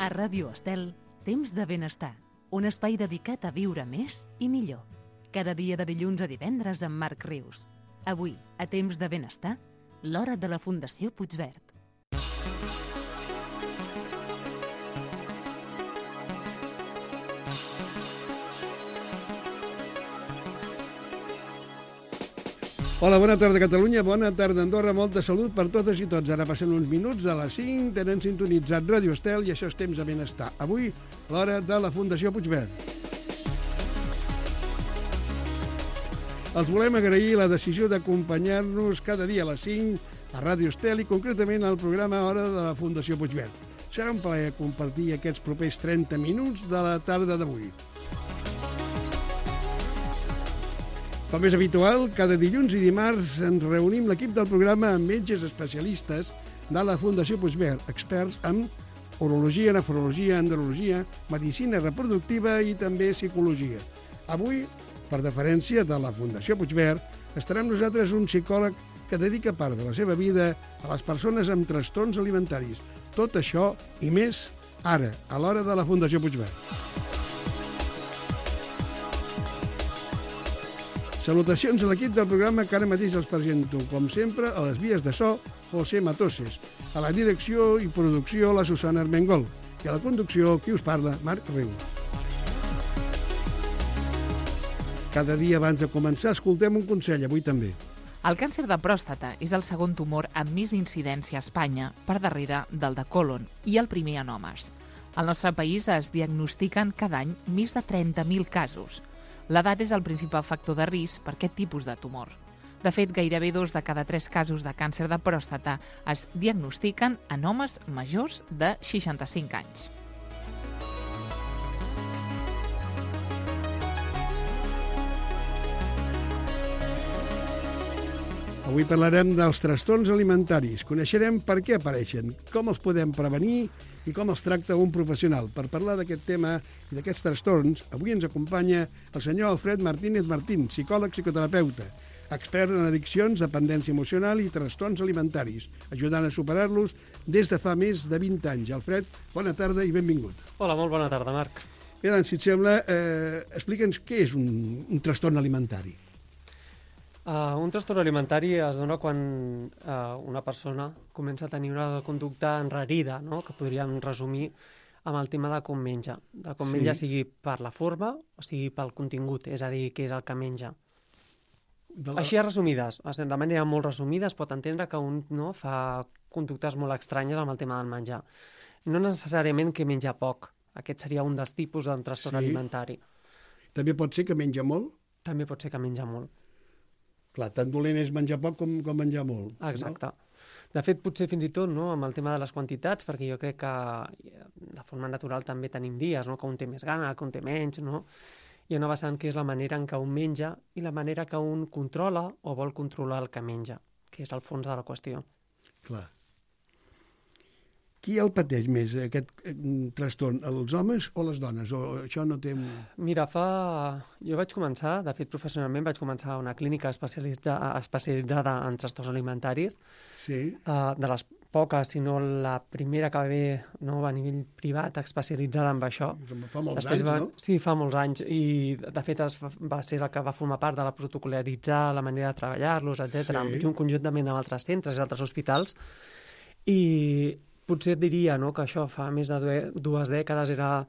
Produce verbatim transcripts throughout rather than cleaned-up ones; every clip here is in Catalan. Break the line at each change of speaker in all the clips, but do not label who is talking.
A Ràdio Estel, Temps de Benestar, un espai dedicat a viure més i millor. Cada dia de dilluns a divendres amb Marc Rius. Avui, a Temps de Benestar, l'hora de la Fundació Puigverd.
Hola, bona tarda Catalunya, bona tarda Andorra, molta salut per totes i tots. Ara passen uns minuts a les cinc, tenen sintonitzat Ràdio Estel i això és Temps de Benestar. Avui, l'hora de la Fundació Puigverd. Els volem agrair la decisió d'acompanyar-nos cada dia a les cinc a Ràdio Estel i concretament al programa Hora de la Fundació Puigverd. Serà un plaer compartir aquests propers trenta minuts de la tarda d'avui. Com és habitual, cada dilluns i dimarts ens reunim l'equip del programa amb metges especialistes de la Fundació Puigverd, experts en urologia, nefrologia, andrologia, medicina reproductiva i també psicologia. Avui, per deferència de la Fundació Puigverd, estarà amb nosaltres un psicòleg que dedica part de la seva vida a les persones amb trastorns alimentaris. Tot això i més ara, a l'hora de la Fundació Puigverd. Salutacions a l'equip del programa que ara mateix els presento, com sempre, a les vies de so, José Matoses, a la direcció i producció, la Susana Armengol, i a la conducció, qui us parla, Marc Rius. Cada dia abans de començar, escoltem un consell, avui també.
El càncer de pròstata és el segon tumor amb més incidència a Espanya, per darrere del de còlon, i el primer en homes. Al nostre país es diagnostiquen cada any més de trenta mil casos. L'edat és el principal factor de risc per aquest tipus de tumor. De fet, gairebé dos de cada tres casos de càncer de pròstata es diagnostiquen en homes majors de seixanta-cinc anys.
Avui parlarem dels trastorns alimentaris. Coneixerem per què apareixen, com els podem prevenir i com els tracta un professional. Per parlar d'aquest tema i d'aquests trastorns, avui ens acompanya el senyor Alfred Martínez Martín, psicòleg psicoterapeuta, expert en addiccions, dependència emocional i trastorns alimentaris, ajudant a superar-los des de fa més de vint anys. Alfred, bona tarda i benvingut.
Hola, molt bona tarda, Marc.
Bé, doncs, si et sembla, eh, explica'ns què és un, un trastorn alimentari.
Uh, un trastorn alimentari es dona quan uh, una persona comença a tenir una conducta enrarida, no? Que podríem resumir amb el tema de com menja. De com sí. menja sigui per la forma o sigui pel contingut, és a dir, què és el que menja. De la... Així a resumides, de manera molt resumida, es pot entendre que un no, fa conductes molt estranyes amb el tema del menjar. No necessàriament que menja poc. Aquest seria un dels tipus d'un trastorn sí. alimentari.
També pot ser que menja molt?
També pot ser que menja molt.
Clar, tan dolent és menjar poc com, com menjar molt.
Exacte. No? De fet, potser fins i tot no, amb el tema de les quantitats, perquè jo crec que de forma natural també tenim dies, no? Que un té més gana, que un té menys, no? Hi ha una vessant que és la manera en què un menja i la manera que un controla o vol controlar el que menja, que és el fons de la qüestió.
Clar. Qui el pateix més, aquest trastorn, els homes o les dones? O això no té...
Mira, fa... Jo vaig començar, de fet, professionalment, vaig començar a una clínica especialitza... especialitzada en trastorns alimentaris.
Sí.
Uh, de les poques, si no la primera que va haver no, a nivell privat especialitzada en això.
Fa molts
Després
anys,
va...
no?
Sí, fa molts anys. I, de fet, es va ser la que va formar part de la protocolaritzar, la manera de treballar-los, etcètera, sí. Conjuntament amb altres centres i altres hospitals. I... Potser et diria no, que això fa més de dues dècades era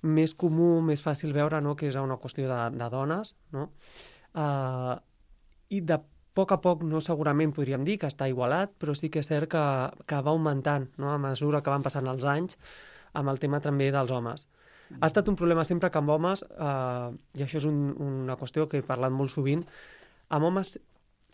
més comú, més fàcil veure no, que és una qüestió de, de dones. No? Uh, I de poc a poc, no segurament podríem dir que està igualat, però sí que és cert que, que va augmentant no, a mesura que van passant els anys amb el tema també dels homes. Ha estat un problema sempre que amb homes, uh, i això és un, una qüestió que he parlat molt sovint, amb homes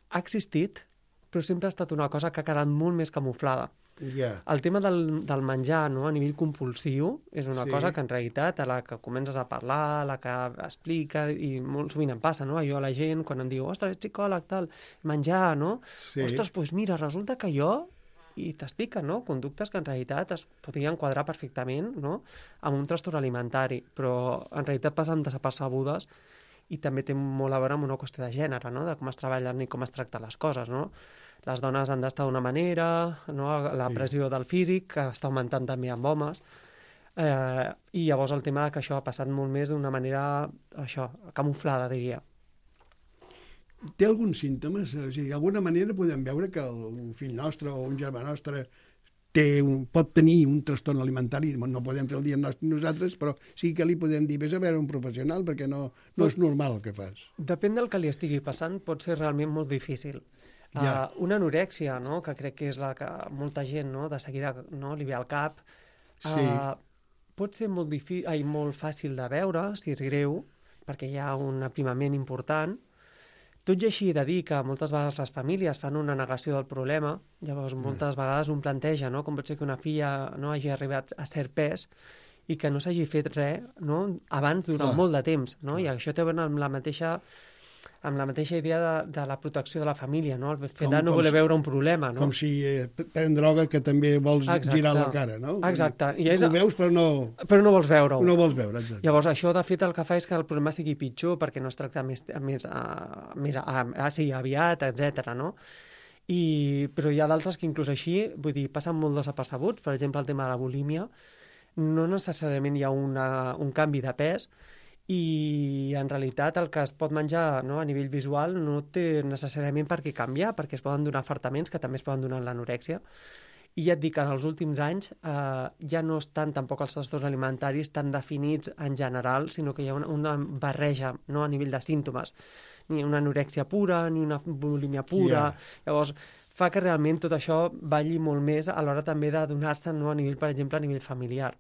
ha existit, però sempre ha estat una cosa que ha quedat molt més camuflada.
Yeah.
El tema del, del menjar no, a nivell compulsiu és una
sí.
cosa que en realitat a la que comences a parlar, a la que explica, i molt sovint em passa, no? Jo a la gent quan em diu, ostres, ets psicòleg, tal, menjar, no? Sí. Ostres, doncs mira, resulta que jo, i t'explica, no?, conductes que en realitat es podrien quadrar perfectament, no?, amb un trastorn alimentari, però en realitat passen desapercebudes i també té molt a veure amb una qüestió de gènere, no?, de com es treballen i com es tracten les coses, no? Les dones han d'estar d'una manera, no? La pressió del físic, que està augmentant també amb homes. Eh, I llavors el tema que això ha passat molt més d'una manera, això, camuflada, diria.
Té alguns símptomes? O sigui, d'alguna manera podem veure que el, un fill nostre o un germà nostre té un, pot tenir un trastorn alimentari, no podem fer el diagnòstic nosaltres, però sí que li podem dir, vés a veure un professional perquè no, no és normal el que fas.
Depèn del que li estigui passant, pot ser realment molt difícil. Ja. Uh, una anorèxia, no?, que crec que és la que molta gent, no?, de seguida, no?, li ve al cap, uh, sí. pot ser molt, difí- ai, molt fàcil de veure, si és greu, perquè hi ha un aprimament important. Tot i així he de dir que moltes vegades les famílies fan una negació del problema, llavors moltes mm. vegades un planteja, no?, com pot ser que una filla no hagi arribat a cert pes i que no s'hagi fet res, no?, abans durant Clar. molt de temps, no?, i això té a veure amb la mateixa amb la mateixa idea de, de la protecció de la família, no?, el fet com, de no voler si, veure un problema, no?
Com si eh, pren droga que també vols exacte. girar la cara, no?
Exacte. I és,
ho veus però no...
Però no vols veure-ho.
No vols veure, exacte.
Llavors això de fet el que fa és que el problema sigui pitjor perquè no es tracta més, més, a, més a, a, sí, aviat, etcètera, no? I, però hi ha d'altres que inclús així, vull dir, passen molt desapercebuts, per exemple el tema de la bulímia, no necessàriament hi ha una, un canvi de pes, i en realitat el que es pot menjar, no, a nivell visual no té necessàriament per què canviar, perquè es poden donar afartaments que també es poden donar en l'anorèxia. I ja et dic que en els últims anys eh, ja no estan tampoc els trastorns alimentaris tan definits en general, sinó que hi ha una, una barreja, no, a nivell de símptomes. Ni una anorèxia pura, ni una bulímia pura. Yeah. Llavors, fa que realment tot això balli molt més a l'hora també de donar-se, no, a nivell, per exemple, a nivell familiar.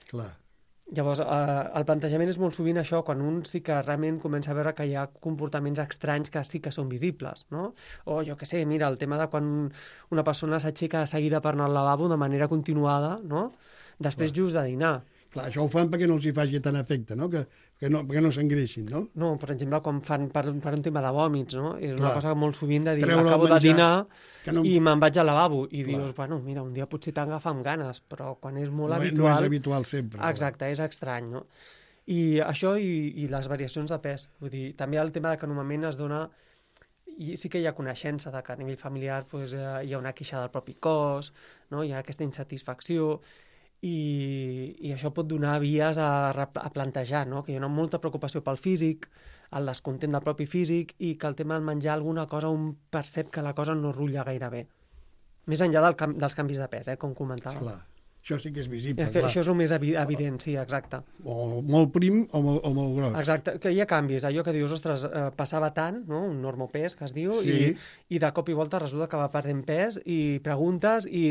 Clar.
Llavors, eh, el plantejament és molt sovint això, quan un sí que realment comença a veure que hi ha comportaments estranys que sí que són visibles, no? O jo què sé, mira, el tema de quan una persona s'aixeca de seguida per anar al lavabo de manera continuada, no? Després Clar. just de dinar.
Clar, això ho fan perquè no els hi faci tant efecte, no? Que, que no, perquè no s'engreixin, no?
No, per exemple, quan fan per, per un tema de vòmits, no? És Clar. una cosa molt sovint de dir,
Treure
acabo de dinar
no...
i me'n vaig al lavabo. I Clar. dius, bueno, mira, un dia potser t'agafa amb ganes, però quan és molt
no,
habitual...
No és habitual sempre.
Exacte, no? És estrany, no? I això i, i les variacions de pes. Vull dir, també el tema de que normalment es dona... I sí que hi ha coneixença de que a nivell familiar pues, hi ha una queixa del propi cos, no? Hi ha aquesta insatisfacció... I, i això pot donar vies a, a plantejar, no? Que hi ha una molta preocupació pel físic, el descontent del propi físic i que el tema del menjar alguna cosa un percep que la cosa no rutlla gaire bé. Més enllà del, dels canvis de pes, eh, com comentava.
Esclar. Això sí que és visible,
és que clar. Això és el més evi evident, sí, exacte.
O molt prim o molt, o molt gros.
Exacte, que hi ha canvis, allò que dius, ostres, eh, passava tant, no? Un normopès, que es diu,
sí.
i, i de cop i volta resulta que va perdent pes i preguntes i,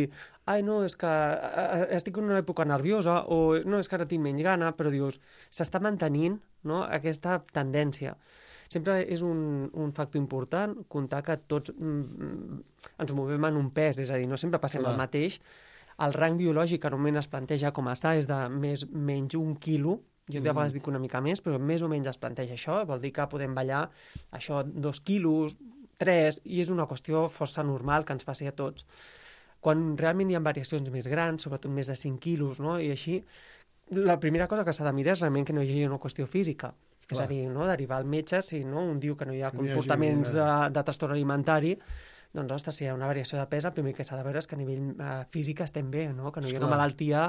ai, no, és que eh, estic en una època nerviosa o no, és que ara tinc menys gana, però dius, s'està mantenint, no?, aquesta tendència. Sempre és un, un factor important comptar que tots mm, ens movem en un pes, és a dir, no sempre passem Clar. el mateix. El rang biològic que normalment es planteja com a sa és de més menys un quilo, jo de vegades dic una mica més, però més o menys es planteja això, vol dir que podem ballar això dos quilos, tres, i és una qüestió força normal que ens passi a tots. Quan realment hi ha variacions més grans, sobretot més de cinc quilos, no? I així, la primera cosa que s'ha de mirar és realment que no hi hagi una qüestió física. Clar. És a dir, no? Derivar al metge, si no? Un diu que no hi ha comportaments de, de trastorn alimentari, doncs, ostres, si hi ha una variació de pes, el primer que s'ha de veure és que a nivell uh, físic estem bé, no? Que no hi ha una malaltia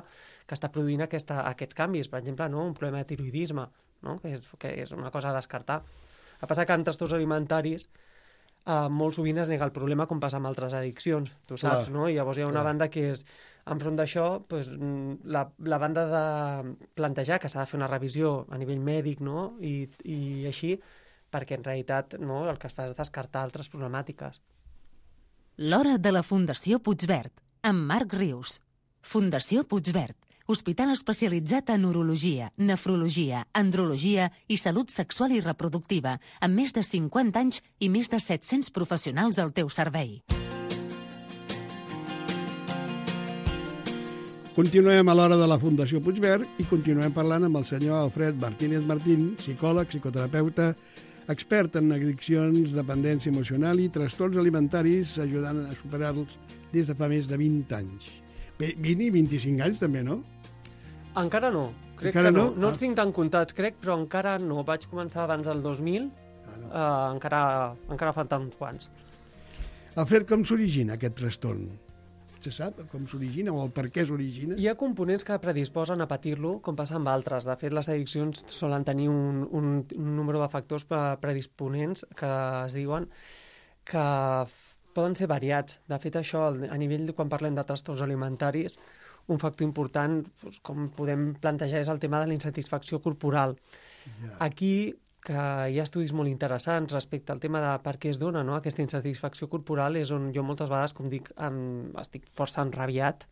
que està produint aquesta, aquests canvis. Per exemple, no? Un problema de tiroidisme, no? que, és, que és una cosa a descartar. El que passa que en trastorns alimentaris uh, molt sovint es nega el problema com passa amb altres addiccions, tu saps, Clar. no? I llavors hi ha una Clar. banda que és, enfront d'això, pues, la, la banda de plantejar que s'ha de fer una revisió a nivell mèdic, no? I, i així, perquè en realitat no? el que es fa és descartar altres problemàtiques.
L'hora de la Fundació Puigverd, amb Marc Rius. Fundació Puigverd, hospital especialitzat en urologia, nefrologia, andrologia i salut sexual i reproductiva, amb més de cinquanta anys i més de set-cents professionals al teu servei.
Continuem a l'hora de la Fundació Puigverd i continuem parlant amb el senyor Alfred Martínez Martín, psicòleg, psicoterapeuta, expert en addiccions, dependència emocional i trastorns alimentaris, ajudant a superar-los des de fa més de vint anys. vint i vint-i-cinc anys també, no?
Encara no. Crec
encara
que no.
No,
no
ah.
els tinc tan comptats, crec, però encara no. Vaig començar abans del dos mil, ah, no. uh, encara, encara falten uns quants.
Alfred, com s'origina aquest trastorn? se sap com s'origina o el per què s'origina?
Hi ha components que predisposen a patir-lo, com passa amb altres. De fet, les addiccions solen tenir un, un, un número de factors predisponents que es diuen que poden ser variats. De fet, això, a nivell de quan parlem de trastorns alimentaris, un factor important, doncs, com podem plantejar, és el tema de la insatisfacció corporal. Ja. Aquí, que hi ha estudis molt interessants respecte al tema de per què es dona, no? Aquesta insatisfacció corporal és on jo moltes vegades, com dic, em, estic força enrabiat,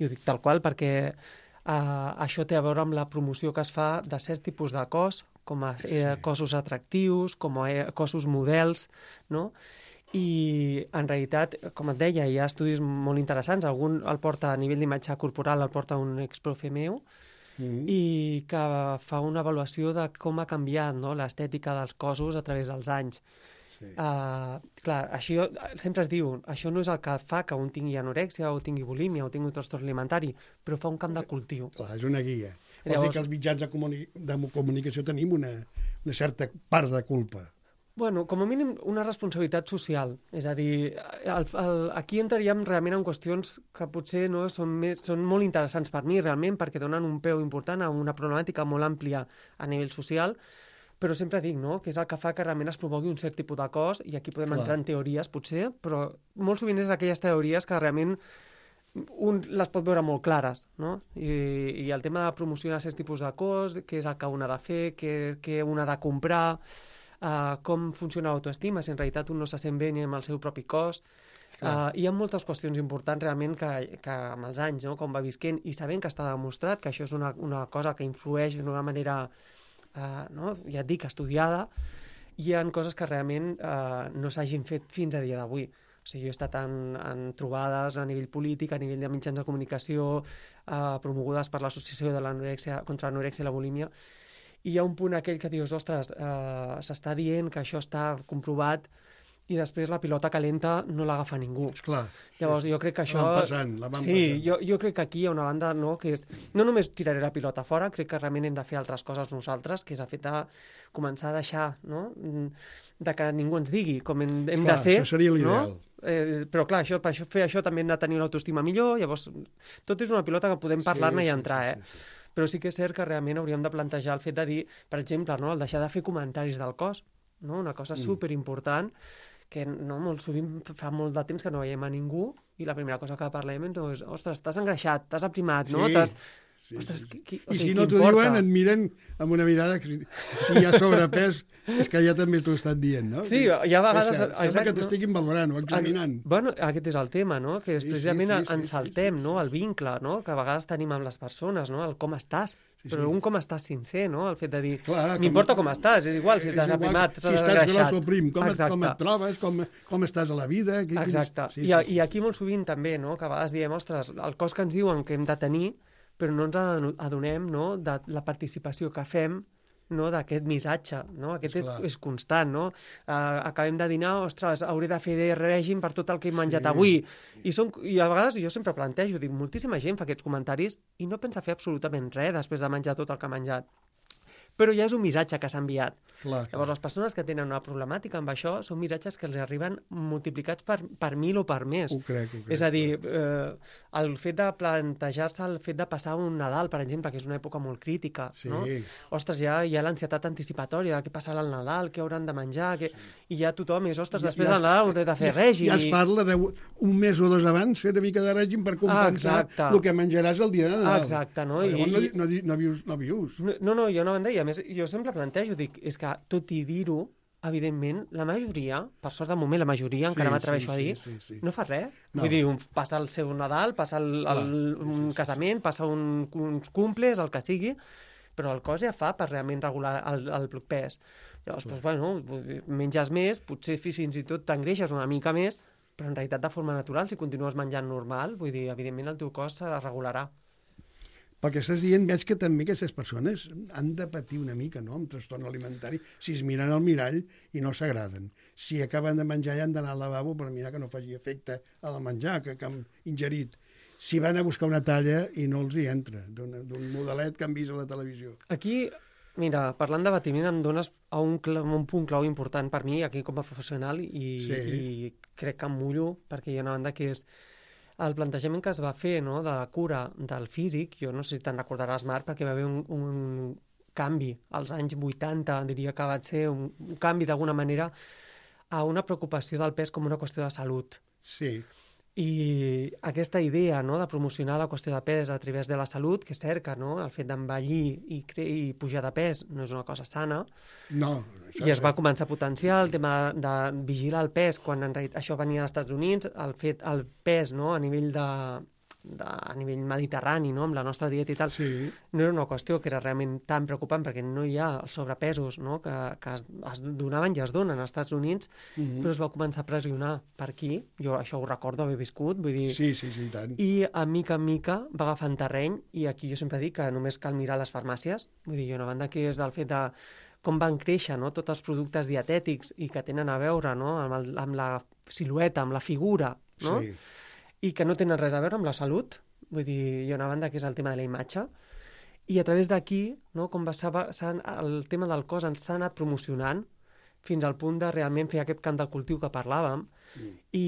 i ho dic tal qual, perquè eh, això té a veure amb la promoció que es fa de certs tipus de cos, com a eh, cossos atractius, com a eh, cossos models, no? I en realitat, com et deia, hi ha estudis molt interessants. Algun el porta a nivell d'imatge corporal, el porta un exprofe meu, mm. i que fa una avaluació de com ha canviat, no?, l'estètica dels cossos a través dels anys. Sí. Uh, clar, això sempre es diu, això no és el que fa que un tingui anorèxia o tingui bulímia o tingui un trastorn alimentari, però fa un camp de cultiu.
Clar, és una guia. Vols Llavors... dir que els mitjans de, comuni... de comunicació tenim una, una certa part de culpa.
Bueno, com a mínim una responsabilitat social. És a dir, el, el, aquí entraríem realment en qüestions que potser no són, més, són molt interessants per mi realment, perquè donen un peu important a una problemàtica molt àmplia a nivell social, però sempre dic, no?, que és el que fa que realment es promogui un cert tipus de cos, i aquí podem Clar. entrar en teories, potser, però molt sovint és aquelles teories que realment un les pot veure molt clares, no? I, i el tema de promocionar certs tipus de cos, què és el que un ha de fer, què, què un ha de comprar... Uh, com funciona l'autoestima, si en realitat un no se sent bé ni amb el seu propi cos. Uh, hi ha moltes qüestions importants realment que, que amb els anys, no?, com va visquent, i sabent que està demostrat que això és una, una cosa que influeix d'una manera, uh, no?, ja et dic, estudiada, hi ha coses que realment uh, no s'hagin fet fins a dia d'avui. O sigui, jo he estat en, en trobades a nivell polític, a nivell de mitjans de comunicació, uh, promogudes per l'Associació de l'Anorèxia contra l'Anorèxia i la Bulímia, i hi ha un punt aquell que dius, ostres, eh, s'està dient que això està comprovat i després la pilota calenta no l'agafa ningú.
Esclar.
Llavors, jo crec que això...
La van passant, la van
sí,
passant.
Jo, jo crec que aquí hi ha una banda, no?, que és... No només tiraré la pilota fora, crec que realment hem de fer altres coses nosaltres, que és el fet de començar a deixar, no?, de que ningú ens digui com hem, hem
Esclar,
de ser.
això seria l'ideal.
No? Eh, però clar, això, per això, fer això també hem de tenir l'autoestima millor, llavors tot és una pilota que podem parlar-ne sí, i entrar, sí, sí, sí, sí. eh? Però sí que és cert que realment hauríem de plantejar el fet de dir, per exemple, no, el deixar de fer comentaris del cos, no? Una cosa mm. superimportant, que no, molt sovint fa molt de temps que no veiem a ningú i la primera cosa que parlem és, ostres, t'has engreixat, t'has aprimat, no?
Sí.
T'has...
Sí,
ostres,
sí.
qui, qui,
I
o sigui,
si no t'ho diuen, et miren amb una mirada que si hi ha sobrepès, és que ja també t'ho he estat dient, no?
Sí, hi ha vegades...
És cert, sembla que t'estiguin valorant o examinant.
Bueno, aquest és el tema, no? Que és
sí,
precisament
sí, sí,
ens
sí,
saltem,
sí, sí,
no?
sí.
El vincle, no? Que a vegades tenim amb les persones, no? El com estàs.
Sí, sí.
Però un com estàs sincer, no? El fet de dir,
Clar,
m'importa com... com estàs, és igual si t'has aprimat,
si estàs gros o prim, com, et, com et
Exacte.
trobes, com, com estàs a la vida... Quins...
Exacte.
Sí,
I,
sí, sí,
I aquí molt sovint també, no? Que a vegades diem, ostres, el cos que ens diuen que hem de tenir, però no ens adonem, no?, de la participació que fem, no?, d'aquest missatge, no? Aquest és, és constant, no? Uh, acabem de dinar, ostres, hauré de fer de règim per tot el que he menjat sí. avui. I, són, I a vegades jo sempre plantejo, dic, moltíssima gent fa aquests comentaris i no pensa fer absolutament res després de menjar tot el que ha menjat. Però ja és un missatge que s'ha enviat.
Clar,
Llavors, les persones que tenen una problemàtica amb això són missatges que els arriben multiplicats per, per mil o per més.
Ho crec, ho crec.
És a dir, eh, el fet de plantejar-se el fet de passar un Nadal, per exemple, que és una època molt crítica,
sí.
no? Ostres, ja hi ha l'ansietat anticipatòria de què passarà al Nadal, què hauran de menjar, què... i ja tothom és, ostres, després ja, del Nadal hauré de fer règim.
Ja es parla d'un mes o dos abans fer una mica de règim per compensar ah, el que menjaràs el dia de Nadal.
Exacte, no?
I,
I...
no, no, no vius. No, vius.
no, no, jo no me'n deia. A més, jo sempre plantejo, dic, és que tot i dir-ho, evidentment, la majoria, per sort de moment, la majoria, sí, encara m'atreveixo
sí,
a dir,
sí, sí, sí.
no fa res.
No.
Vull dir, un, passa el seu Nadal, passa el, el,
Clar,
un
sí, sí,
casament, passa un, uns cumples, el que sigui, però el cos ja fa per realment regular el, el pes. Llavors, doncs, bueno, menges més, potser fins i tot t'engreixes una mica més, però en realitat de forma natural, si continues menjant normal, vull dir, evidentment el teu cos se regularà.
Pel que estàs dient, veig que també aquestes persones han de patir una mica, no?, amb trastorn alimentari, si es miren al mirall i no s'agraden. Si acaben de menjar ja han d'anar al lavabo per mirar que no faci efecte a la menjar que, que han ingerit. Si van a buscar una talla i no els hi entra, d'un modelet que han vist a la televisió.
Aquí, mira, parlant d'abatiment em dones a un, un punt clau important per mi, aquí com a professional, i, sí. i crec que em mullo, perquè hi ha una banda que és el plantejament que es va fer, no?, de la cura del físic, jo no sé si te'n recordaràs, Marc, perquè va haver un, un canvi als anys vuitanta, diria que va ser un, un canvi d'alguna manera a una preocupació del pes com una qüestió de salut.
Sí.
I aquesta idea, no?, de promocionar la qüestió de pes a través de la salut, que és cert que, no?, el fet d'envellir i, i pujar de pes no és una cosa sana,
no,
i es va començar a potenciar el tema de vigilar el pes, quan en realitat això venia als Estats Units, el fet, el pes, no?, a nivell de, de a nivell mediterrani, no?, amb la nostra dieta i tal,
sí.
no era una qüestió que era realment tan preocupant, perquè no hi ha els sobrepesos, no?, que, que es, es donaven i es donen als Estats Units, mm-hmm. però es va començar a pressionar per aquí. Jo això ho recordo haver viscut, vull dir...
Sí, sí, sí, tant.
I a mica en mica va agafant terreny, i aquí jo sempre dic que només cal mirar les farmàcies, vull dir, una banda que és el fet de com van créixer, no?, tots els productes dietètics i que tenen a veure, no?, amb, el, amb la silueta, amb la figura, no?,
Sí.
i que no tenen res a veure amb la salut. Vull dir, hi ha una banda que és el tema de la imatge, i a través d'aquí, no, com va, el tema del cos s'ha anat promocionant fins al punt de realment fer aquest camp de cultiu que parlàvem, mm. i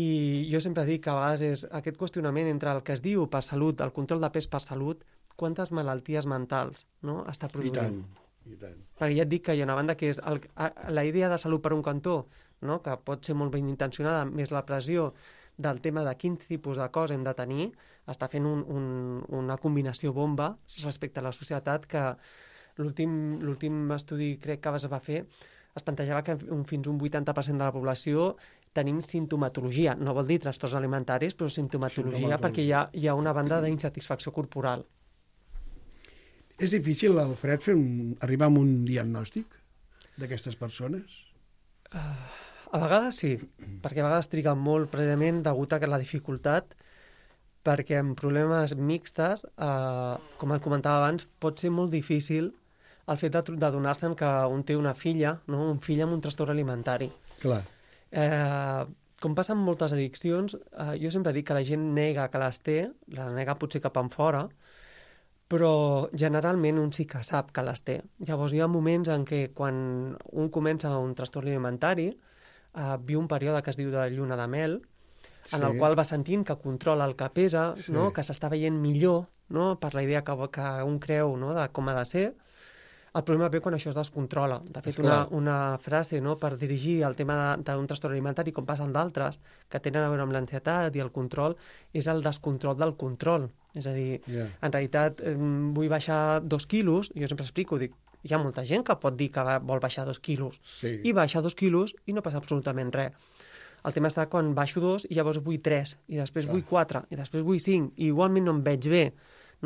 jo sempre dic que a vegades és aquest qüestionament entre el que es diu per salut, el control de pes per salut, quantes malalties mentals, no?, està produint.
I tant, i tant.
Perquè ja et dic que hi ha una banda que és el, la idea de salut per un cantó, no?, que pot ser molt ben intencionada, més la pressió del tema de quin tipus de cos hem de tenir, està fent un, un, una combinació bomba respecte a la societat, que l'últim estudi crec que es va fer es plantejava que un, fins un vuitanta per cent de la població tenim sintomatologia, no vol dir trastorns alimentaris, però sintomatologia, perquè hi ha, hi ha una banda d'insatisfacció corporal.
És difícil, Alfred, fer un, arribar a un diagnòstic d'aquestes persones?
Uh... A vegades sí, perquè a vegades triguen molt precisament degut a la dificultat, perquè en problemes mixtes, eh, com et comentava abans, pot ser molt difícil el fet de, de donar-se'n que un té una filla, no?, un fill amb un trastorn alimentari.
Clar.
Eh, com passa amb moltes addiccions, eh, jo sempre dic que la gent nega que les té, la nega potser cap en fora, però generalment un sí que sap que les té. Llavors hi ha moments en què quan un comença un trastorn alimentari, Uh, viu un període que es diu de lluna de mel, en sí. el qual va sentint que controla el que pesa, sí. no?, que s'està veient millor, no?, per la idea que, que un creu, no?, de com ha de ser. El problema ve quan això es descontrola. De fet, una, una frase, no?, per dirigir el tema d'un trastorn alimentari, com passen d'altres, que tenen a veure amb l'ansietat i el control, és el descontrol del control. És a dir, yeah. en realitat, eh, vull baixar dos quilos, jo sempre explico, dic, hi ha molta gent que pot dir que vol baixar dos quilos,
sí.
i baixa dos quilos i no passa absolutament res. El tema està quan baixo dos i llavors vull tres, i després Clar. vull quatre, i després vull cinc, i igualment no em veig bé,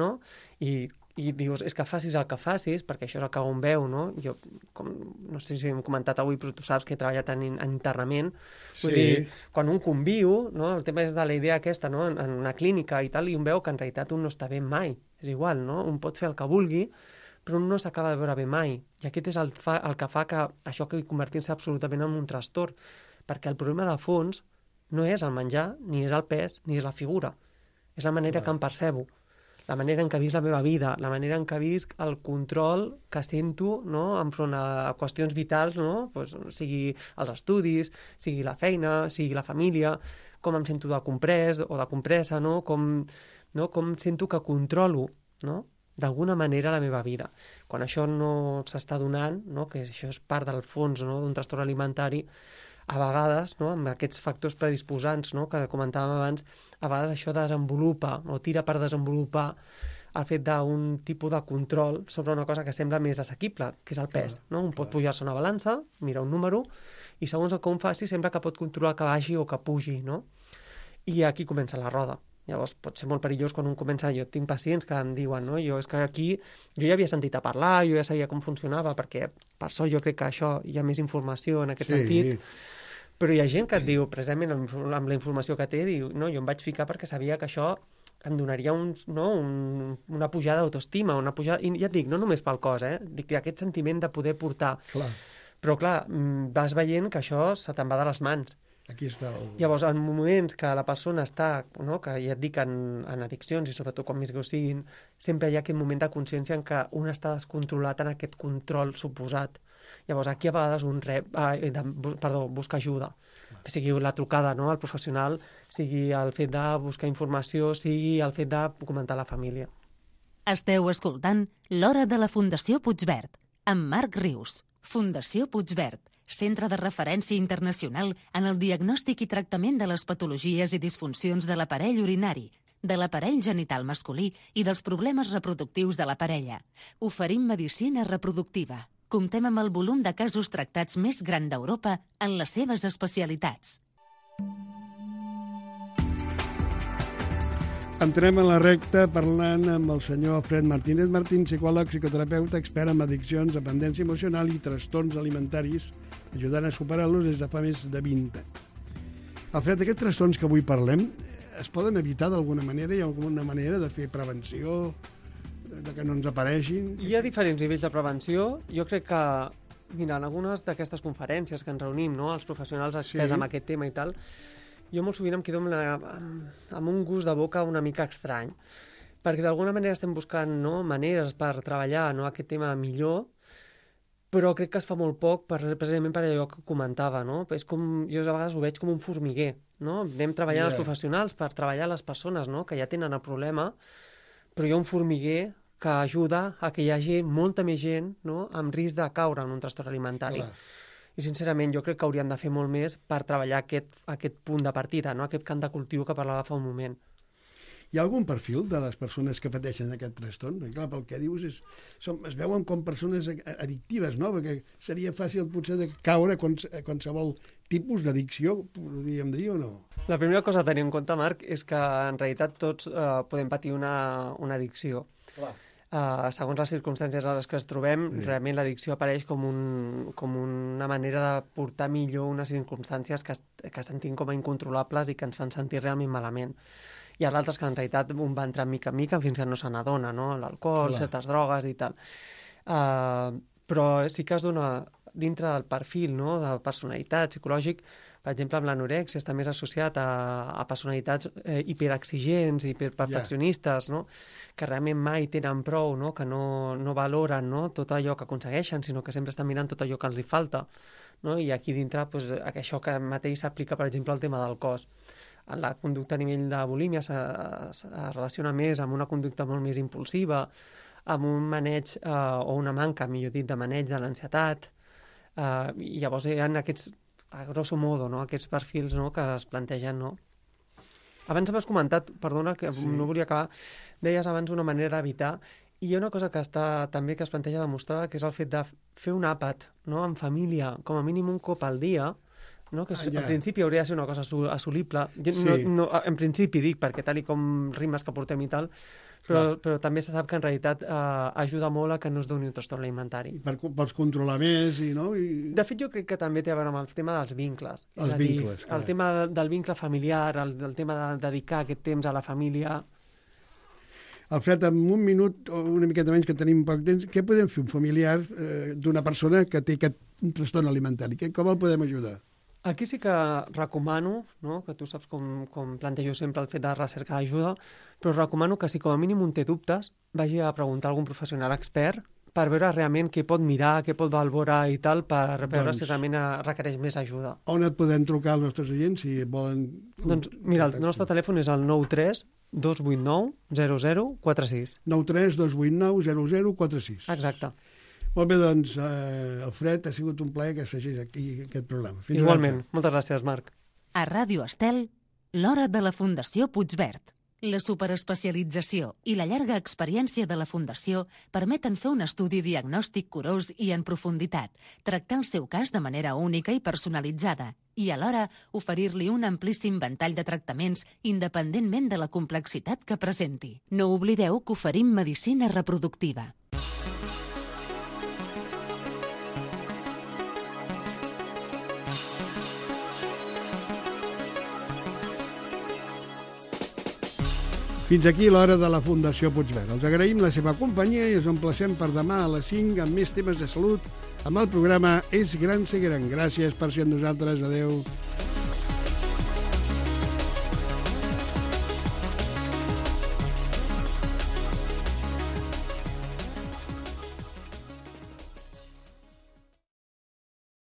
no? I, i dius, és que facis el que facis, perquè això és el que un veu, no? Jo, com, no sé si hem comentat avui, però tu saps que he treballat en, en internament, vull
sí.
dir, quan un conviu, no? El tema és de la idea aquesta, no?, en, en una clínica i tal, i un veu que en realitat un no està bé mai, és igual, no? Un pot fer el que vulgui, però un no s'acaba de veure bé mai. I aquest és el, fa, el que fa que això acabi convertint-se absolutament en un trastorn, perquè el problema de fons no és el menjar, ni és el pes, ni és la figura. És la manera Clar. que em percebo, la manera en què visc la meva vida, la manera en què visc el control que sento, no?, enfront a qüestions vitals, no?, pues, sigui els estudis, sigui la feina, sigui la família, com em sento de comprès o de compressa, no?, com, no? com sento que controlo, no?, d'alguna manera la meva vida. Quan això no s'està donant, no?, que això és part del fons, no?, d'un trastorn alimentari, a vegades, no?, amb aquests factors predisposants, no?, que comentàvem abans, a vegades això desenvolupa o tira per desenvolupar el fet d'un tipus de control sobre una cosa que sembla més assequible, que és el pes. Clar, no? Un pot pujar-se una balança, mirar un número, i segons el que un faci sembla que pot controlar que baixi o que pugi, no? I aquí comença la roda. Llavors pot ser molt perillós quan un comença, jo tinc pacients que em diuen, no? Jo és que aquí, jo ja havia sentit a parlar, jo ja sabia com funcionava, perquè per sort jo crec que això hi ha més informació en aquest sí. sentit, però hi ha gent que et diu, precisament amb la informació que té, diu, no, jo em vaig ficar perquè sabia que això em donaria un, no, un, una pujada d'autoestima, una pujada, i ja et dic, no només pel cos, eh? Dic, aquest sentiment de poder portar.
Clar.
Però clar, vas veient que això se te'n va de les mans.
Aquí està el...
Llavors, en moments que la persona està, no, que ja et dic, en, en addiccions, i sobretot quan més greus siguin, sempre hi ha aquest moment de consciència en què un està descontrolat en aquest control suposat. Llavors, aquí a vegades un rep, eh, de, perdó, busca ajuda. Que sigui la trucada, no, al professional, sigui el fet de buscar informació, sigui el fet de comentar a la família.
Esteu escoltant L'Hora de la Fundació Puigverd, amb Marc Rius. Fundació Puigverd, centre de referència internacional en el diagnòstic i tractament de les patologies i disfuncions de l'aparell urinari, de l'aparell genital masculí i dels problemes reproductius de la parella. Oferim medicina reproductiva. Comptem amb el volum de casos tractats més gran d'Europa en les seves especialitats.
Entrem a la recta parlant amb el senyor Alfred Martínez Martín, psicòleg, psicoterapeuta, expert en addiccions, dependència emocional i trastorns alimentaris, ajudant a superar-los des de fa més de vint anys. Alfred, aquests trastorns que avui parlem es poden evitar d'alguna manera? Hi ha alguna manera de fer prevenció, de que no ens apareixin?
Hi ha diferents nivells de prevenció. Jo crec que, mira, en algunes d'aquestes conferències que ens reunim, no?, els professionals experts
Sí.
en aquest tema i tal, jo molt sovint em quedo amb, la, amb un gust de boca una mica estrany, perquè d'alguna manera estem buscant, no?, maneres per treballar, no?, aquest tema millor, però crec que es fa molt poc per, precisament per allò que comentava, no? És com, jo a vegades ho veig com un formiguer, no? Anem treballant
Ja.
els professionals per treballar les persones, no?, que ja tenen el problema, però hi ha un formiguer que ajuda a que hi hagi molta més gent, no?, amb risc de caure en un trastorn alimentari.
Clar.
I, sincerament, jo crec que haurien de fer molt més per treballar aquest, aquest punt de partida, no?, aquest camp de cultiu que parlava fa un moment.
Hi ha algun perfil de les persones que pateixen aquest trastorn? Perquè, clar, pel que dius, és, som, es veuen com persones addictives, no? Perquè seria fàcil, potser, de caure a qualsevol tipus d'addicció, podríem dir, o no?
La primera cosa a tenir en compte, Marc, és que, en realitat, tots eh, podem patir una, una addicció.
Clar.
Uh, segons les circumstàncies a les que ens trobem, sí. realment l'addicció apareix com, un, com una manera de portar millor unes circumstàncies que, que sentim com a incontrolables i que ens fan sentir realment malament. Hi ha d'altres que en realitat un va entrar mica en mica fins que no se n'adona, no? L'alcohol, certes drogues i tal. Uh, però sí que es dona dintre del perfil, no?, de personalitat, psicològic. Per exemple, amb l'anorèxia està més associat a, a personalitats eh, hiperexigents, hiperperfeccionistes, yeah. no?, que realment mai tenen prou, no?, que no, no valoren, no?, tot allò que aconsegueixen, sinó que sempre estan mirant tot allò que els hi falta. No? I aquí dintre, pues, això que mateix s'aplica, per exemple, al tema del cos. La conducta a nivell de bulímia se, se relaciona més amb una conducta molt més impulsiva, amb un maneig, eh, o una manca, millor dit, de maneig de l'ansietat. Eh, I llavors hi ha aquests, a grosso modo, no?, aquests perfils, no?, que es plantegen, no? Abans m'has comentat, perdona, que sí. no volia acabar, deies abans una manera d'evitar, i hi ha una cosa que està també que es planteja demostrar, que és el fet de fer un àpat, no?, en família, com a mínim un cop al dia, no?, que ah, ja. en principi hauria de ser una cosa assolible. Jo, sí. no, no, en principi dic, perquè tal i com rimes que portem i tal, però, però també se sap que en realitat eh, ajuda molt a que no es doni un trastorn alimentari.
Per, per controlar més i no? I...
De fet, jo crec que també té a veure amb el tema dels vincles.
Els
és a dir,
vincles, clar.
El tema del vincle familiar, el, el tema de dedicar aquest temps a la família.
Alfred, en un minut o una miqueta menys que tenim poc temps, què podem fer un familiar eh, d'una persona que té aquest trastorn alimentari? Com el podem ajudar?
Aquí sí que recomano, no?, que tu saps com, com plantejo sempre el fet de recercar ajuda, però recomano que si com a mínim un té dubtes, vagi a preguntar a algun professional expert per veure realment què pot mirar, què pot valorar i tal, per veure doncs, si realment requereix més ajuda.
On et podem trucar els nostres oients si volen...
Doncs mira, el nostre telèfon és el nou tres dos vuit nou zero zero quatre sis.
nou tres dos vuit nou zero zero quatre sis.
Exacte.
Molt bé, doncs, eh, Alfred, ha sigut un plaer que s'hagis aquí aquest programa. Fins
Igualment. Moltes gràcies, Marc.
A Ràdio Estel, l'Hora de la Fundació Puigverd. La superespecialització i la llarga experiència de la Fundació permeten fer un estudi diagnòstic curós i en profunditat, tractar el seu cas de manera única i personalitzada i, alhora, oferir-li un amplíssim ventall de tractaments independentment de la complexitat que presenti. No oblideu que oferim medicina reproductiva.
Fins aquí l'Hora de la Fundació Puigverd. Els agraïm la seva companyia i ens emplacem per demà a les cinc amb més temes de salut amb el programa És Gran Ser Gran. Gràcies per ser amb nosaltres. Adéu.